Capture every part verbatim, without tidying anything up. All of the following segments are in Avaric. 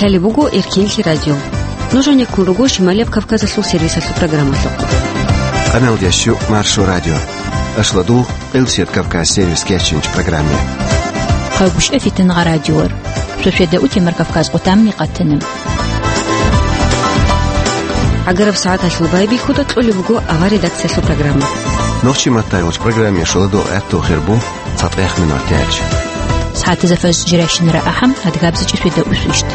Лъалеб буго Эркенлъи радио. Нуж гьанеккун руго Шималияб Кавказалъул сервисалъул программалъухъ. Къаналдияс щу Маршо радио. Ашлодул Къилсият Кавказ сервис кечинч программе. Хъагушев Фитнагъа радиор. Шошеда утимар Кавказ къутамни къатана. ГӀагараб сагӀаталъул байбихьуда кьолеб буго авар редакциялъул программа. Нохчи маттайгъулч программе шоладул гӀатту хирбу цатӀех минуттач. СагӀатазда фажр жирайщинара ахӀам, адгабзичӀи шведа усвищт.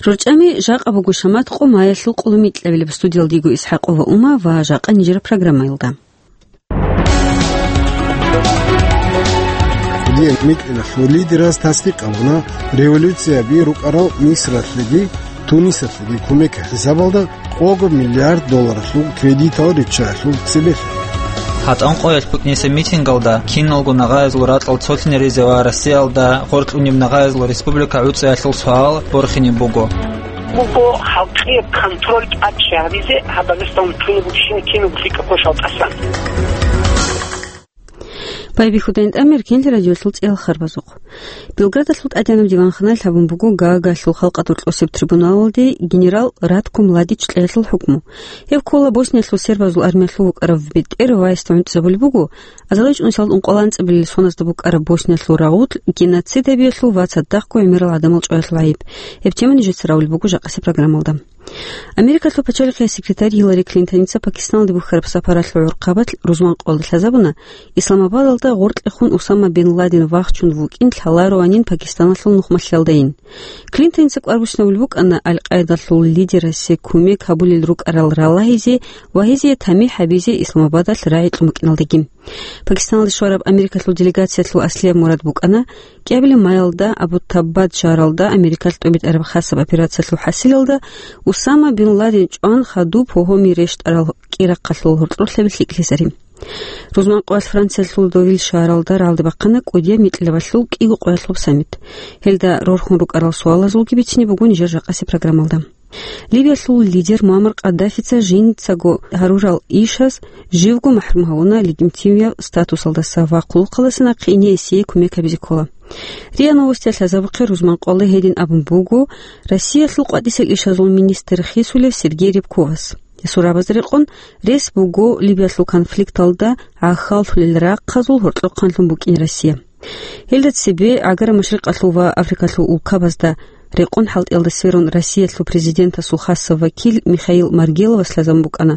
РорчӀами жакъа буго шамат къо маялъул къулумикьабилеб студиялдиго Исхакъова Ума ва жакъа нижера программаялда. Дие микьилалъул лидераз тасдикъ гьабуна революцияби рукӀарал Мисралъеги Тунисалъеги кумек хӀисабалда къого миллиард долларалъул кредитал риччаялъул цебелъ. ГьатӀан къоялъ букӀине митингалда киналго нагъаязул ракьал цолъинаризе ва Россиялда гъоркьунеб нагъаязул республика гӀуцӀиялъул суал борхине буго. Буго халкъияб контроль тӀадчӀей гьабизе гьаб Дагъистан чӀунеб букӀин кинаб лъикӀаб квешал тӀасан. Байбихьудайин тӀамир Эркенлъи радиолъул цӀиял харбазухъ. Белградалъул тӀадегӀанаб диванханаялъ гьабун буго Гаагалъул халкъалъул рокьосеб трибуналалде генерал Ратко Младич кьеялъул хӀукму. Гьев ккола Босниялъул сербазул армиялъул вукӀарав бетӀер вайсда гӀунтӀизабулеб буго, азарилчӀунусиялда ункъоялда анцӀабилел соназдаса букӀараб Босниялъул рагъулъ геноцид гьабиялъул ва цадахъго гӀемерал гӀадамал чӀваялъул гӀайиб. Гьеб тема нижеца равулеб буго жакъасеб программалда. Америкалъул пачалихъияс секретарь Гиллари Клинтоница Пакистаналде бухьараб сапаралъул гӀурхъабалъ рузман къоялда лъазабуна, Исламабадалда гъоркьехун Усама бин Ладен вахчун вукӀин лъалароанин Пакистаналъул нухмалъиялдайин. Клинтоница кӀвар бучинабулеб букӀана Аль-Къаидалъул лидерасе кумек гьабулел рукӀарал ралагьизе ва гьезие тамихӀ гьабизе Исламабадалъ рагӀи кьун букӀиналдаги. Пакистаналде щвараб Америкалъул делегациялъул аслияб мурад букӀана кӀиабилеб маялда Абутаббад шагьаралда Америкалъ тӀобитӀараб хасаб операциялъул хӀасилалда Усама бин Ладен чӀван хадуб гьогьоми рещтӀарал кӀирахъалъул гьоркьорлъаби лъикӀлъизари. Рузман къоялъ Франциялъул Довиль шагьаралда рагӀалде бахъана кӀудияб микьилабалъул кӀиго къоялъул саммит. Гьелда рорхун рукӀарал суалазулги бицине буго нижер жакъасеб программалда. Ливиялъул лидер Муаммар Къаддафица жинцаго гьарурал ишаз живго махӀрум гьавуна легитимияб статусалдаса ва хъулухъалдаса нахъе ине гьесие кумек гьабизе ккола. РИА Новостиялъ лъазабухъе рузман къоялда гьедин абун буго Россиялъул къватӀисел ишазул министр хисулев Сергей Рябковас. Гьесул рагӀабазда рекъон, рес буго Ливиялъул конфликталда гӀахьаллъулел рахъазул гьоркьохъанлъун букӀин Россия. Гьелда цебе ГӀагараб Машрикъалъул ва Африкалъул улкабазда рекъон хӀалтӀиялда сверун Россиялъул президентасул хасав вакил Михаил Маргеловас лъазабун букӀана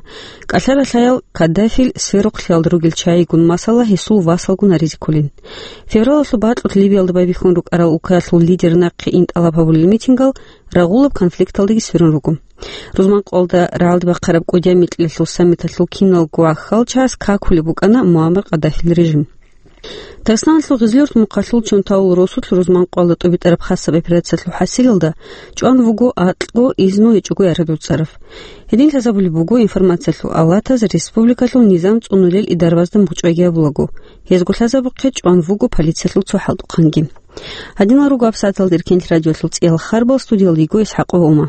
кӀалъа-ралъаял Каддафил сверухълъиялда ругел чагӀигун, масала, гьесул васалгун гьаризе кколин. Февралалъул бакьулъ Ливиялда байбихьун рукӀарал улкаялъул лидер нахъе ин тӀалаб гьабулел митингал рагъулаб конфликталдаги сверун руго. Рузман къоялда рагӀалде бахъараб кӀудияб микьилалъул саммиталъул киналго гӀахьалчагӀаз какулеб букӀана Муаммар Къаддафил режим. Дагъистаналъул Гъизлиюрт мухъалъул Чонтаул росулъ рузман къоялда тӀубитӀараб хасаб операциялъул хӀасилалда чӀван вуго акьго изну гьечӀого ярадуцарав. Гьедин лъазабулеб буго информациялъул авлатаз республикалъул низам цӀунулел идарабазда мугъчӀвайги гьабулаго. Гьезго лъазабухъе чӀван вуго полициялъул цо хӀалтӀухъанги. Гьадинал руго гьабсагӀаталда Эркенлъи радиолъул цӀиял харбал, студиялда йиго Исхакъова Ума.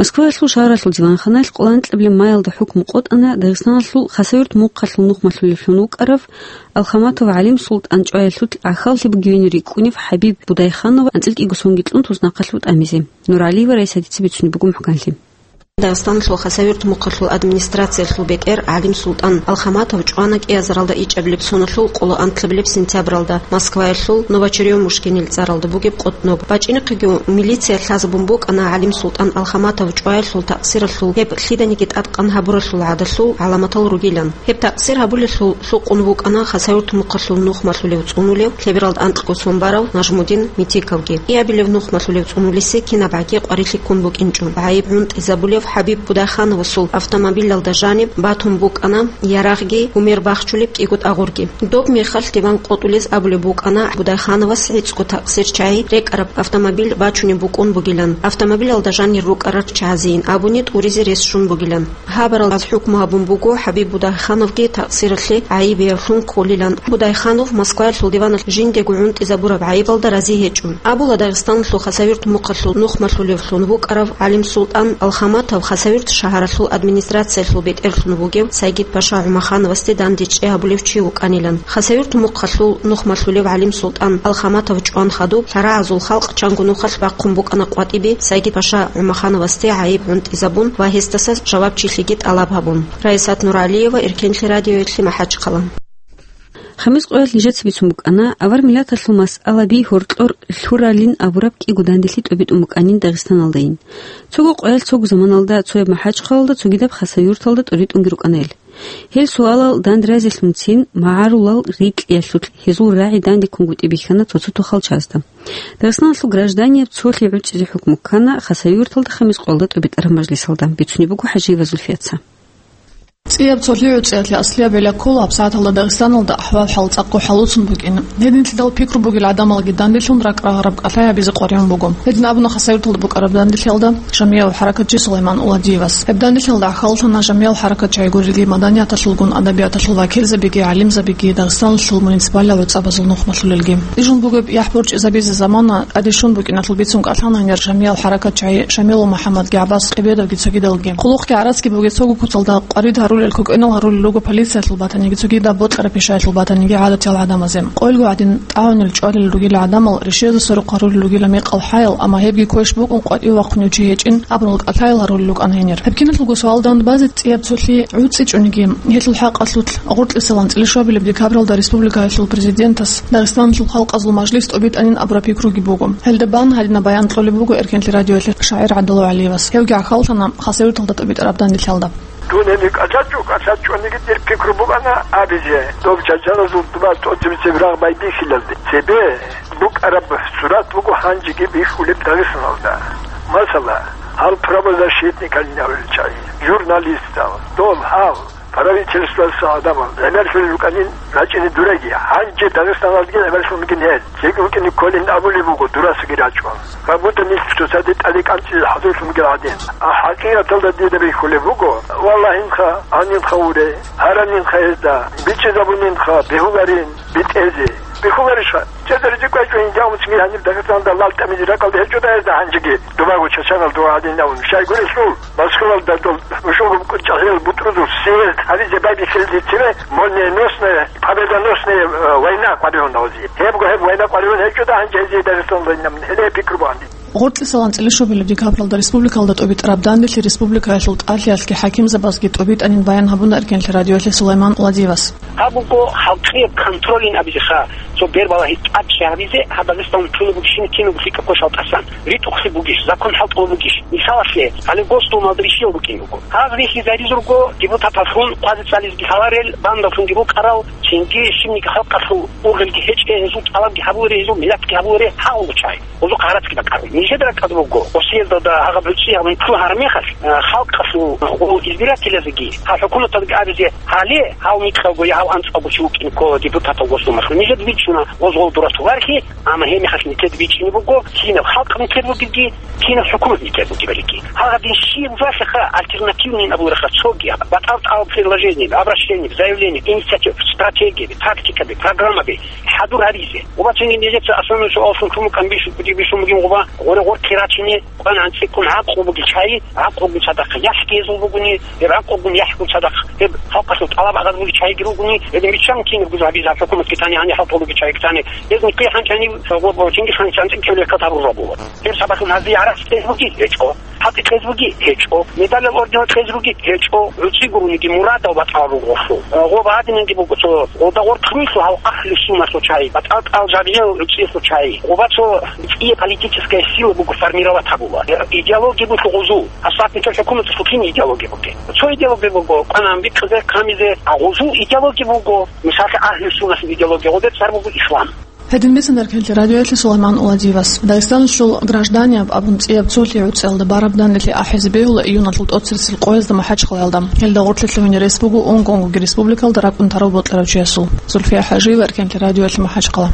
Москваялъул шагьаралъул диванханаялъ къоло анкьабилеб маялда хӀукму къотӀана Дагъистаналъул Хасавюрт мухъалъул нухмалъулевлъун вукӀарав Алхаматов ГӀалим-Султан чӀваялъулъ гӀахьаллъи бугевин рикӀкӀунев ХӀабиб Будайханов анцӀила кӀиго сонги кьун туснахъалъув тӀамизе. Нуралиева Раиса дица бицунеб буго мухӀканлъи. Дагъистаналъул Хасавюрт мухъалъул администрациялъул бетӀер ГӀалим-Султан Алхаматов чӀвана кӀиазаралда ичӀабилеб соналъул къоло анкьабилеб сентябралда Москваялъул Новочерёмушкинил цӀаралда бугеб къотӀноб. БачӀинехъеги милиция лъазабун букӀана ГӀалим-Султан Алхаматов чӀваялъул такъсиралъул гьеб лъиданиги тӀадкъан гьабуралъул гӀадалъул гӀаламатал ругилан. Гьеб такъсир гьабулелъул лъукъун вукӀана Хасавюрт мухъалъул нухмалъулев цӀунулев, лъебералда анкьго сон барав Нажмудин Митиковги. КӀиабилев нухмалъулев цӀунулесе кинабгӀаги къварилъи ккун букӀинчӀо, гӀайиб гӀунтӀизабулев ХӀабиб Будайхановасул автомобилалда жаниб батун букӀана ярагъги гьумер бахчулеб кӀиго тӀагъурги. Доб мехалъ диван къотӀулез абулеб букӀана Будайхановас гӀицӀго такъсир чагӀи рекӀараб автомобиль бачунеб букӀун бугилан, автомобилалда жанир рукӀарал чагӀазейин абуни тӀуризе рес щун бугилан. Гьабаралдаса хӀукму гьабун буго ХӀабиб Будайхановги такъсиралъе гӀайибиявлъун кколилан. Будайханов Москваялъул диваналъ жиндего гӀунтӀизабураб гӀайибалда рази гьечӀо. Абула Дагъистаналъул Хасавюрт мухъалъул нухмалъулевлъун вукӀарав ГӀалим-Султан Алхамат Гьаб Хасавюрт шагьаралъул администрациялъул бетӀерлъун вугев Сайгид-паша ГӀумахановасде дандечӀей гьабулев чи вукӀанилан. Хасавюрт мухъалъул нухмалъулев гӀалим-султӀан Алхаматов чӀван хадуб, лъарагӀазул халкъ чанго нухалъ бахъун букӀана къватӀибе Сайгид-паша ГӀумахановасде гӀайиб гӀунтӀизабун ва гьесдаса жавабчилъиги тӀалаб гьабун. Раисат Нуралиева, Иркенлъи радиоялъе, МахӀачхъала. Хамис къоялъ нижеца бицун букӀана, авар миллаталъул масъалаби гьоркьор лъуралин абураб кӀиго данделъи тӀобитӀун букӀанин Дагъистаналдайин. Цого къоялъ цого заманалда цояб МахӀачхъалалда, цогидаб Хасавюрталда тӀоритӀунги рукӀана гьел. Гьел суалал дандразилъунцин магӀарулал рикьиялъулъ гьезул рагӀи дандеккунгутӀи бихьана цо-цо тухалчазда. Дагъистаналъул гражданияб цолъи гӀуцӀизе хӀукму ккана Хасавюрталда хамис къоялда тӀобитӀараб мажлисалда, бицунеб буго ХӀажиева Зульфияца. ЦӀияб цолъи гӀуцӀиялъе аслияб гьеле ккола гьаб сагӀаталда Дагъистаналда ахӀвал-хӀал цӀакъго хӀалуцун букӀин. Гьединлъидал пикру бугел гӀадамалги данделъун ракӀ-рагъараб кӀалъай гьабизе къваригӀун буго. Гьедин абуна Хасавюрталда букӀараб данделъиялда жамигӀав хӀаракатчи Сулайман Уладиевас. Гьеб данделъиялда гӀахьаллъана жамигӀав хӀаракатчагӀи гурелги, маданияталъулгун, адабияталъул вакилзабиги, гӀалимзабиги, Дагъистаналъул муниципалал гӀуцӀабазул нухмалъулелги. Ижун бугеб яхӀ борчӀизабизе замана тӀаде щун букӀиналъул бицун кӀалъана гьанир жамигӀал хӀаракатчагӀи Шамилов МухӀаммадги, ГӀаббас Къебедовги цогидалги. Къулухъги гӀараскги бугеб цого куцалда къварид гьарулел кокӀенал гьарулел руго полициялъул батаниги, цогидаб бокьараб пишаялъул батаниги гӀадатиял гӀадамазе. Къойилго гӀадин тӀагӀунел чӀвалел ругила гӀадамал, ришиязда сорухъ гьарулел ругила мекъал-хӀаял, амма гьебги квеш букӀун къватӀиве вахъунев чи гьечӀин абурал кӀалъайил гьарулел рукӀана гьенир. Гьеб киналъулго суал дандбазе цӀияб цолъи гӀуцӀичӀониги, гьелъул хӀакъалъулъ гъоркьисалан цӀилищуабилеб декабралда республикаялъул президентас Дагъистаналъул халкъазул мажлис тӀобитӀанин абураб пикруги буго. Гьелда бан гьадинаб баян кьолеб буго Эркенлъи радиоялъе шагӀир ГӀабдулла ГӀалиевас. Гьевги гӀахьаллъана Хасавюрталда тӀобитӀараб данделъиялда. Дун гьениб кӀалъачӀо, кӀалъачӀониги дир пикру букӀана абизе, доб чачаназул дуба тӀоцебесеб рагъ байбихьилалде. Цебе букӀараб сурат буго гьанжеги бихьулеб Дагъистаналда. Масала, гьал правозащитникалин абулел чагӀи, журналистал, дол гьал правительствоялъул гӀадамал гӀемерлъулел рукӀанин рачӀине дуреги, гьанже Дагъистаналдги гӀемерлъун бугин гьел. Цеги вукӀине кколин абулеб буго, дурасаги рачӀун. Как будто нилъ цоцаде тӀаде кӀанцӀизе хӀадурлъун бугел гӀадин. А хӀакъикъаталда дида бихьулеб буго, валлагьинха, гьанинха уре, гьаранинха гьезда, бичӀчӀизабунинха, бегьуларин, битӀезе. Бихьуларищха? Чедер жикъвечӀо, инжамуцги гьаниб Дагъистаналда лал тӀамизе ракӀалда гьечӀо да гьезда гьанжеги. Дубаго чачанал дугӀадин абун. Щай гурелъул, Москвалда дол бушугу чӀахӀиял бутӀрузул съезд гьабизе байбихьилде цеве, молниеносная, победоносная, э, война къваригӀун гьавзи. Гьебго гьеб война къваригӀун гьечӀо да гьанже гьезие Дагъистаналда инаб гьеле пикру багьанди. Гъоркьисалан цӀилищуабилеб декабралда республикалда тӀобитӀараб данделъи республикаялъул тӀалъиялъги хӀакимзабазги тӀобитӀанин баян гьабуна Эркенлъи радиоялъе Сулайман Уладиевас. Гьаб буго халкъияб контролин абизеха, цо бербалагьи тӀадчӀи гьабизе, гьаб Дагъистан чуна бугищин кинабго лъикӀаб квешал тӀасан. РитӀухълъи бугищ, закон хӀалтӀулаб бугищ. Мисалалъе, гьале Госдумалда рихьиял букӀин буго. Гьаз рихьизаризурго депутаталлъун хъвазе цӀализги лъаларел, бандаллъунги букӀарал, цинги щибниги халкъалъул ургъелги гьечӀей, гьезул тӀалабги гьабуларе, гьезул миллатги гьабуларе гьагъулчӀай. Гьезухъ гьарацги бакӀараб. Нижеда ракӀалда буго, Россиялда гьагъаб гӀуцӀи гьабун чӀун гьараб мехалъ, э, халкъалъул, э, гъол избирателазеги гьал хӀукуматалги абизе гьале, гьав микьалгоя, гьав анцӀалго чи вукӀин ккола депутатал Госдумалъул. Нижеда бичӀчӀуна гъоз гъол дурасул вархьи, амма гьеб мехалъ нилъеда бичӀчӀине буго, кинаб халкъ нилъер бугебги, кинаб хӀукумат нилъер бугебалиги. Гьагъадин щиб валъаха альтернативный абулаха цоги, батӀал-тӀал предложение, обращение, заявление, инициатива, стратегияби, тактикаби, программаби хӀадур гьаризе. Ва цинги нижеца основной суаллъун чумукан бищун бугин гъуба, гъоре гъоркье рачине, къван анцӀиккун гӀакълу буги чай, гӀакълугун цадахъ яхӀги гьезул бугуни, гьеб гӀакълугун яхӀгун цадахъ гьеб халкъалъул тӀалаб гӀадаб буги чайги ругуни, гьедин биччан кинаб гузабизаб хӀукуматги тани, гьаниб хӀалтӀулуги чайги тани, гьезни кӀи хӀанчани, гъо-, гъо-, чинги ханчанцӀи кевле катаб рурабула. Гьеб сабаблъун гьазие гӀарац кьез буги гьечӀо. ХӀалтӀи кьез буги гьечӀо. Медалал орденал кьез буги гьечӀо. ГӀуцӀи гуруниги мурадал батӀал руго гъолъул. Э, гъо багьадинанги буго цо, гъода гъоркь руйлъу гьав ахлу суннаталъул чай, батӀал-тӀал жагьилал гӀуцӀиялъул чай. Гъоба цо цӀия политическая сила буго формировать гьабула. Э, идеология буго гъозул. Асатникал хӀукуматалъул кин идеология бугеб? Цо идеология буго, къванан бикъизе, камизе, а гъозул идеология буго, мисаллъи, ахлу суннаталъул идеология, гъоде цӀар буго ислам. Гьедин бицана Эркенлъи радиоялъе Сулайман Уладиевас. Дагъистаналъул гражданияб абун цӀияб цолъи гӀуцӀиялда бараб данделъи ахӀизе бегьула июналъул тӀоцересел къоязда МахӀачхъалаялда. Гьелда гъоркье лъугьине рес буго унго-унгоги республикалда ракӀун тарав бокьарав чиясул. Зульфия ХӀажиева, Эркенлъи радиоялъе, МахӀачхъала.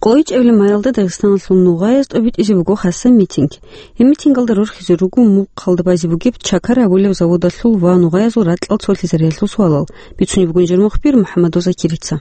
Къойчебли майалда Дагъистаналъул нугъаяз тӀобитӀизе буго хасаб митинг. Гьеб митингалда рорхизе руго мухъалда базе бугеб Чакар абулеб заводалъул ва нугъаязул ракьал цолъизариялъул суалал. Бицунеб бугин жер мухбир МухӀаммадов Закирица.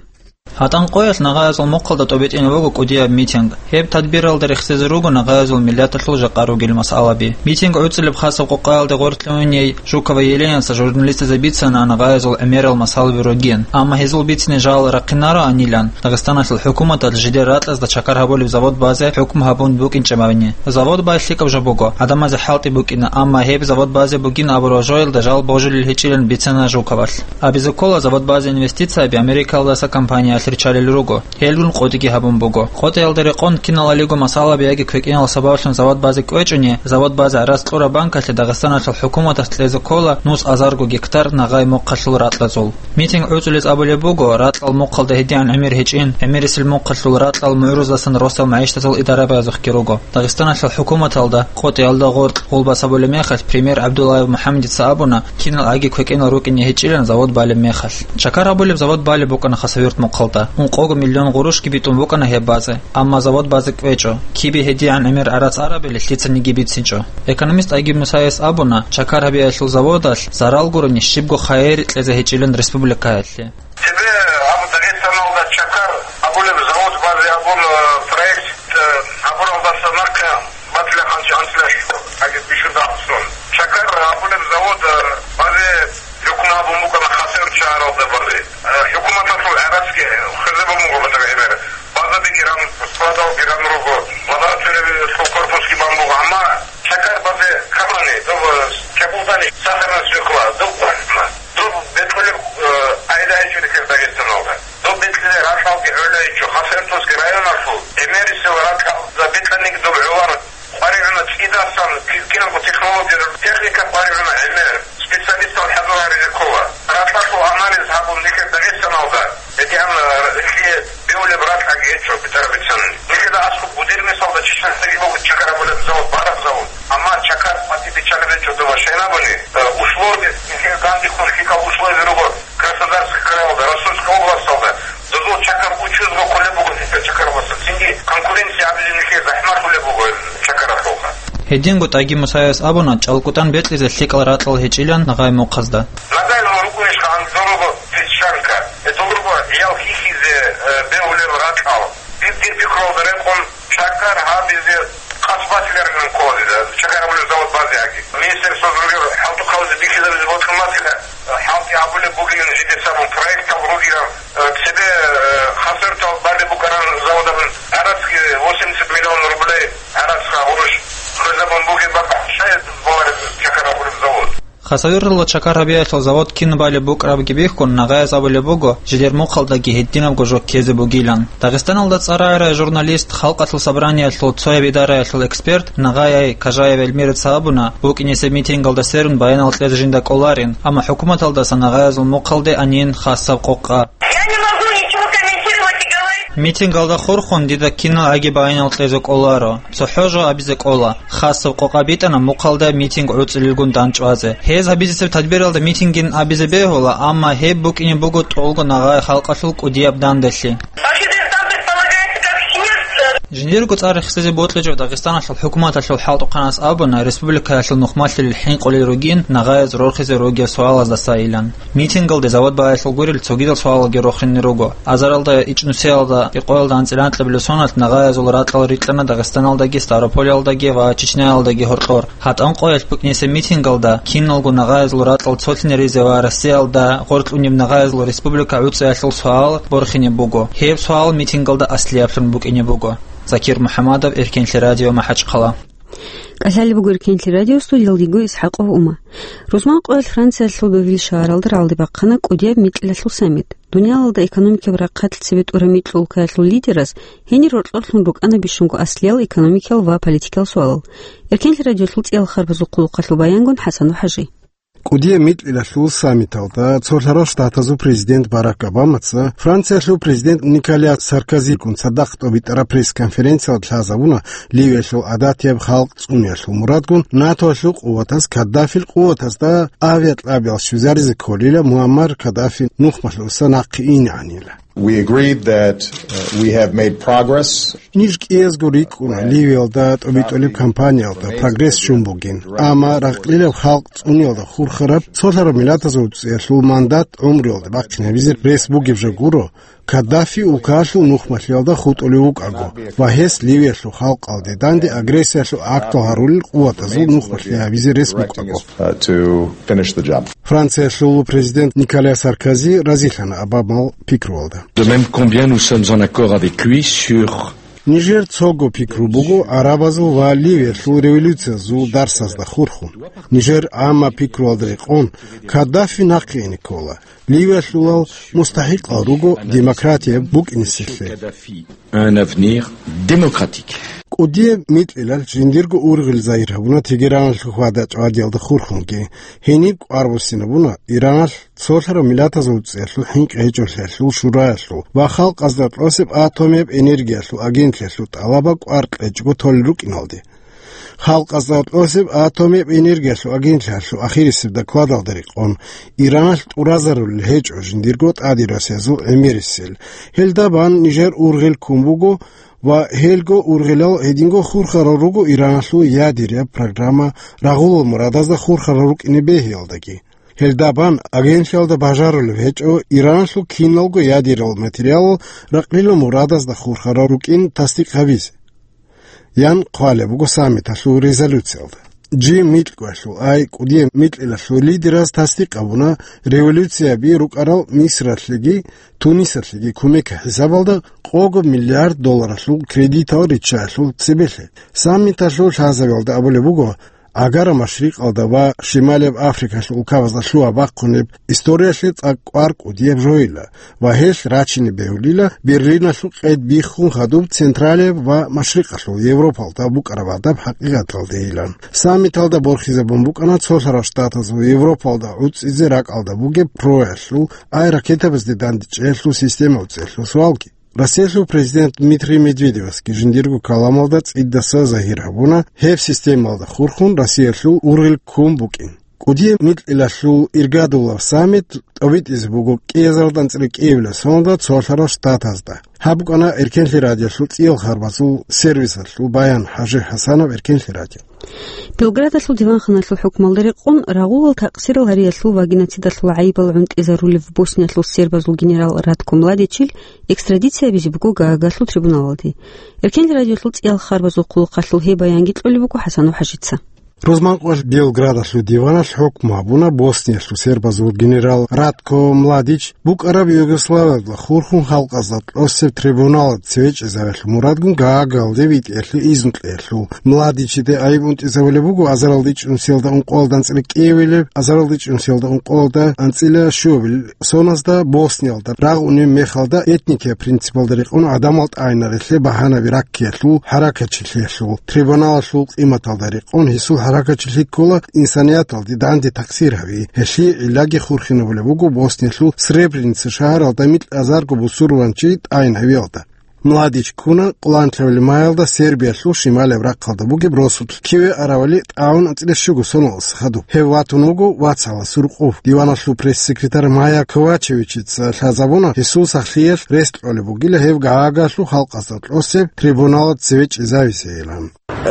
ГьатӀан къоялъ нагъаязул мухъалда тӀобитӀине буго кӀудияб митинг. Гьеб тадбиралда рехсезе руго нагъаязул миллаталъул жакъа ругел масъалаби. Митинг гӀуцӀилеб хасаб къокъаялде гъоркье уней Жукова Еленаца журналистазе бицана нагъаязул гӀемерал масъалаби ругин, амма гьезул бицине жал рахъинароанилан, Дагъистаналъул хӀукуматалъ жидер ракьазда чакар гьабулеб завод базе хӀукму гьабун букӀинчӀебани. Завод бай лъикӀаб жо буго, гӀадамазе хӀалтӀи букӀина, амма гьеб завод базе бугин абураб жоялда жал божулел гьечӀилан бицана Жуковалъ. Абизе ккола завод базе инвестицияби Америкалдаса компаниялъ риччалел руго. Гьелгун къотӀиги гьабун буго. КъотӀиялда рекъон киналалиго масъалаби яги квекӀинал сабаблъун завод базе кӀвечӀони, завод базе гӀарац кьураб банкалъе Дагъистаналъул хӀукуматалъ кьезе ккола нус азарго гектар нагъай мухъалъул ракьазул. Митинг гӀуцӀулез абулеб буго, ракьал мухъалда гьедигӀан гӀемер гьечӀин, гӀемерисел мухъалъул ракьал мугӀрузасан росал магӀишатал идара базухъги руго. Дагъистаналъул хӀукуматалда, къотӀиялда гъоркь гъулбас абулеб мехалъ, премьер ГӀабдуллаев МухӀаммадица абуна, кинал аги квекӀинал рукӀине гьечӀилан завод балеб мехалъ. Чакар гьабулеб завод балеб букӀана Хасавюрт мухъалда. Ункъого миллион гъурущги битӀун букӀана гьеб базе, амма завод базе кӀвечӀо, кибе гьедигӀан гӀемер гӀарац арабилеб лъицаниги бицинчӀо. Экономист Айги Мусаевс абуна, чакар гьабиялъул заводалъ зарал гурони щибго хайир кьезе гьечӀилан республикаялъе. Цебе абу Дагъистаналда чакар абулеб завод базе абун, э, проект, э, абуралдаса марка батила хъанчи анцӀила агит бишуда асун. Чакар абулеб завод, э, базе рукна абун букӀана Хасавюрт шагьаралда базе. Э, хӀукуматалъул гӀарацги хвезабун буго батага гӀемер. Базаби гиран, складал гиран руго, лабораториялъул корпусги бан буго, амма чакар базе камани, доб, э, кабулдани сахарна свекла, доб квахна. Доб бетӀулеб, э, айда гьечӀо нилъер Дагъистаналда. Доб бетӀлъизе ракьалги гӀолайичӀо, Хасавюрталъги районалъул гӀемерисел ракьалда бетӀаниги доб гӀоларо. КъваригӀуна цӀидасан, ки-, кинабго технология, техника къваригӀуна гӀемер, специалистал хӀадур гьаризе ккола. Ракьалъул анализ гьабун нилъер Дагъистаналда, гьедигӀан, э, лъие бевулеб ракьаги гьечӀо, бетӀераб бицани. Нилъеда аскӀоб гудер мисалда Чечнясдаги буго чакар гьабулеб завод, бараб завод. Амма чакар къватӀиб биччалеб гьечӀо доба, щайнабуни, э, условия, нилъер гандихъун лъикӀал условия руго Краснодарский крайалда, Ростовская областалда, дозул чакар учузго кколеб буго нилъер чакаралдаса, цинги конкуренция абизе нилъее захӀмалъулеб буго чакаралъулха. Гьединго тӀаги Мусаевс абуна, чӀалкӀутӀан бекьизе лъикӀал ракьал гьечӀилан нагъай мухъазда. Нагай рукӀунищха гьанже дол руго песчанка, э, дол руго гӀиял хьихьизе, э, бегьулел ракьал. Дир, дир пикруялда рекъон, чакар гьабизе къасбатиларилан ккола дида, чакар гьабулеб завод базе аги. Министерствоялда ругел хӀалтӀухъабазе бихьизабизе бокьун батила, хӀалтӀи гьабулеб бугилан жидеца абун проектал ругилан, э, цебе, э, Хасавюрталъ балеб букӀараб заводалъул гӀарацги восемьдесят миллион рублей гӀарацха гъурущ хвезабун бугеб бакӀ, щай балареб чакар гьабулеб завод? Хасавюрталда чакар гьабиялъул завод кин балеб букӀарабги бихьун, нагъаяз абулеб буго, жидер мухъалдаги гьединабго жо ккезе бугилан. Дагъистаналда цӀар рагӀарай журналист, Халкъалъул собраниялъул цояб идараялъул эксперт Нагъаяй Кажаев Эльмираца абуна, букӀинесеб митингалда сверун баянал кьезе жинда кӀоларин, амма хӀукуматалдаса нагъаязул мухъалде анин хасаб къокъа. Я не могу ничего комментировать и говорить. Митингалда хурхун дида кинал аги баянал кьезе кӀоларо. ЦохӀо жо абизе кӀола. Хасаб къокъа битӀана мухъалда митинг гӀуцӀилелгун дандчӀвазе. Гьез гьабизесеб тадбиралда митингин абизе бегьула, амма гьеб букӀине буго тӀолго нагъай халкъалъул кӀудияб данделъи. Вообще-то там предполагается как съезд. Жиндирго цӀар рехсезе бокьичӀо Дагъистаналъул хӀукуматалъул хӀалтӀухъанас абуна, республикаялъул нухмалъулел хӀинкъулел ругин нагъаяз рорхизе ругел суалаздасайилан. Митингалде завод баялъул гурел цогидал суалалги рохине руго. Азаралда, ичӀнусиялда, кӀикъоялда анцӀила анкьабилеб соналъ нагъаязул ракьал рикьана Дагъистаналдаги Ставрополалдаги ва Чечняялдаги гьоркьор. ГьатӀан къоялъ букӀинесеб митингалда киналго нагъаязул ракьал цолъине ризе ва Россиялда гъоркьунеб нагъаязул республика гӀуцӀиялъул суал борхине буго. Гьеб суал митингалда аслияблъун букӀине буго. Закир МухӀамадов, Эркенлъи радио, МахӀачхъала. КӀалъалеб буго Эркенлъи радио, студиялда йиго ИсхӀакъов Ума. Рузман къоялъ Франциялъул Бевиль шагьаралда рагӀалде бахъана кӀудияб микьилалъул саммит. Дуниялалда экономикияб рахъалъ цебе тӀураб микьул улкаялъул лидераз гьенир рокьорлъун рукӀана бищунго аслиял экономикиял ва политикиял суалал. Эркенлъи радиолъул цӀиял харбазул хъулухъалъул баянгун ХӀасан ва ХӀажи. КӀудияб микьилалъул саммиталда Цолъарал Штатазул президент Барак Обамаца Франциялъул президент Николя Саркозигун цадахъ тӀобитӀараб пресс-конференциялда лъазабуна Ливиялъул гӀадатияб халкъ цӀуниялъул мурадгун НАТОялъул къуватаз Каддафил къуватазда авиакьабиял щвезаризе кколила Муаммар Каддафи нухмалъуса нахъе инегӀанила. We agreed that, uh, we have made progress. Ниж кӀиязго рикӀкӀуна Ливиялда тӀобитӀулеб кампаниялда прогресс щун бугин. Амма ракълилаб халкъ цӀуниялда хурхараб, цолъараб миллатазул цӀиялъул мандат гӀумруялда бахъинабизе рес бугеб жо гуро, Каддафи улкаялъул нухмалъиялда хутӀулев вукӀаго ва гьес Ливиялъул халкъалде данде агрессиялъул актал гьарулел къуватазул нухмалъи гьабизе рес букӀаго. Франциялъул президент Николя Саркози разилъана Обамал пикруялда. De même, combien nous sommes en accord avec lui sur Нижер цого пикру буго арабазул ва Ливиялъул революциязул дарсазда хурхун. Нижер гӀамма пикруялда рекъон, Каддафи нахъе ине ккола. Ливиялъулал мустахӀикъал руго демократия букӀинесилъе. Un avenir démocratique. КӀудияб микьилал жиндирго ургъел загьир гьабуна Тегераналъул хьвада-чӀвадиялда хурхунги. Гьениб кӀвар буссинабуна Ираналъ цолъарав миллатазул цӀиялъул хӀинкъи гьечӀолъиялъул шураялъул ва халкъазда тӀосеб атомияб энергиялъул агентлъиялъул тӀалаба кӀвар кьечӀого толел рукӀиналде. Халкъазда тӀосеб атомияб энергиялъул агентлъиялъул ахирисеб докладалда рекъон, Ираналъ тӀуразарулел гьечӀо жиндирго тӀаде расиязул гӀемерисел. Гьелда бан нижер ургъел ккун буго ва гьелго ургъелал гьединго хурхарал руго Ираналъул ядеряб программа рагъулал мурадазда хурхарал рукӀине бегьиялдаги. Гьелда бан агентлъиялда бажарулеб гьечӀо Ираналъул киналго ядерал материалал ракълилал мурадазда хурхарал рукӀин тасдикъ гьабизе. Ян хъвалеб буго саммиталъул резолюциялда. Жи микьгоялъул ай кӀудияб микьилалъул лидераз тасдикъ гьабуна революцияби рукӀарал Мисралъеги Тунисалъеги кумек хӀисабалда къого миллиард долларалъул кредитал риччаялъул цебелъе. Саммиталъул лъазабиялда абулеб буго, Агара Машрикъалда ва Шималияб Африкалъул улкабазда лъугьа-бахъунеб историялъе цӀакъ кӀвар кӀудияб жойила ва гьелъ рачине бегьулила Берлиналъул къед биххун хадуб Централияб ва Машрикъалъул Европалда букӀараб гьадаб хӀакъикъаталдейилан. Саммиталда борхизабун букӀана цолъарал штатазул Европалда гӀуцӀизе ракӀалда бугеб проялъул ай ракетабазде дандечӀеялъул системал цӀеялъул суалги. Россиялъул президент Дмитрий Медведевасги жиндирго каламалда цӀидаса загьир гьабуна гьеб системалда хурхун Россиялъул ургъел ккун букӀин. КӀудияб микьилалъул иргадулаб саммит тӀобитӀизе буго кӀиазаралда анцӀила кӀиабилеб соналда цолъарал штатазда. Гьаб букӀана Эркенлъи радиолъул цӀиял харбазул сервисалъул баян. ХӀажи ХӀасанов, Эркенлъи радио. Белградалъул диванханалъул хӀукмалда рекъон рагъулал такъсирал гьариялъул ва геноцидалъул гӀайибал гӀунтӀизарулев Босниялъул сербазул генерал Ратко Младичил экстрадиция гьабизе буго Гаагалъул трибуналалде. Эркенлъи радиолъул цӀиял харбазул хъулухъалъул гьеб баянги кьолеб буго ХӀасанов ХӀажица. Рузманкъоялъ Белградалъул диваналъ хӀукму гьабуна Босниялъул сербазул генерал Ратко Младич букӀараб Югославиялда хурхун халкъазда тӀосеб трибуналалде цеве чӀезавелъул мурадгун Гаагалде витӀиялъе изну кьеялъул. Младичиде айиб унтӀизавулеб буго азаралда ичӀнусиялда ункъоялда анцӀила кӀиабилеб, азаралда ичӀнусиялда ункъоялда анцӀила щуабилеб соназда Босниялда рагъунеб мехалда этникияб принципалда рекъон гӀадамал тӀагӀинарелъе багьанаби раккиялъул хӀаракатчилъиялъул. Трибуналалъул къиматалда рекъон гьесул хӀаракатчилъи ккола инсанияталде данде такъсир гьави. Гьелъие гӀиллаги хурхинабулеб буго Босниялъул Сребреница шагьаралда микьазарго бусурбанчи тӀагӀинавиялда. Младич ккуна къоланлъабилеб майалда Сербиялъул шималияб рахъалда бугеб росулъ, киве аравали тӀагӀун анцӀила щуго соналдаса хадуб. Гьев ватун вуго вацгӀаласул рукъов. Диваналъул пресс-секретарь Майя Ковачевичица лъазабуна гьесул сахлъиялъ рес кьолеб бугила гьев Гаагалъул халкъазда тӀосеб трибуналалде цеве чӀезавизейилан.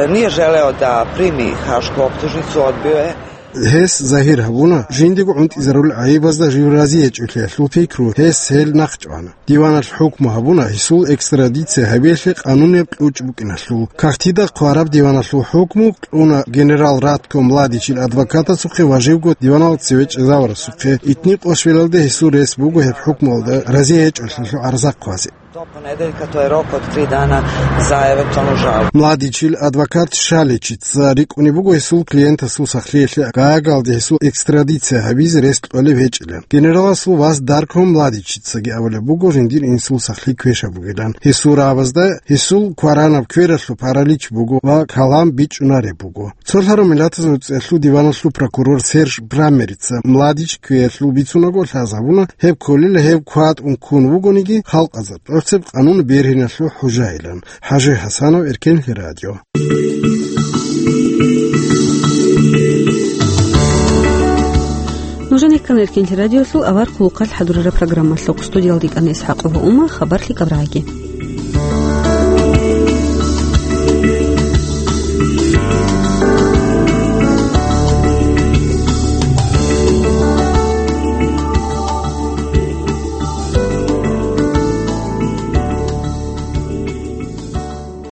Nije želeo da primi hašku optužnicu, odbio je. Гьес загьир гьабуна, жиндего гӀунтӀизарулел гӀайибазда жив рази гьечӀолъиялъул пикру, гьес гьел нахъчӀвана. Диваналъ хӀукму гьабуна гьесул экстрадиция гьабиялъе къанунияб кьучӀ букӀиналъул. Кагътида хъвараб диваналъул хӀукму кьуна генерал Ратко Младичил адвокатасухъе ва живго диваналда цеве чӀезаварасухъе. Итни къошвелалде гьесул рес буго гьеб хӀукмуялда рази гьечӀолъиялъул гӀарза хъвазе. Do ponedeljka, to je rok od tri dana za eventualnu žalbu. Младичил адвокат Шаличица рикӀкӀунеб буго гьесул клиентасул сахлъиялъе Гаагалде гьесул экстрадиция гьабизе рес кьолеб гьечӀилан. Генераласул вас Дарко Младичицаги абулеб буго жиндир инсул сахлъи квешаб бугилан. Гьесул рагӀабазда гьесул кваранаб квералъул паралич буго ва калам бичӀчӀунареб буго. Цолъарав миллатазул цӀеялъул диваналъул прокурор Серж Браммерица Младич квералъул бицунаго лъазабуна, гьеб кколила гьев кватӀун ккун вугониги, халкъазда тӀоцеб къанун бергьиналъул хӀужайилан. ХӀажи ХӀасанов, Эркенлъи радио. Нужеца ккана Эркенлъи радиолъул авар хъулухъалъ хӀадурараб программалъухъ. Студиялда йикӀана ИсхӀакъова Ума, хабар лъикӀаб рагӀаги.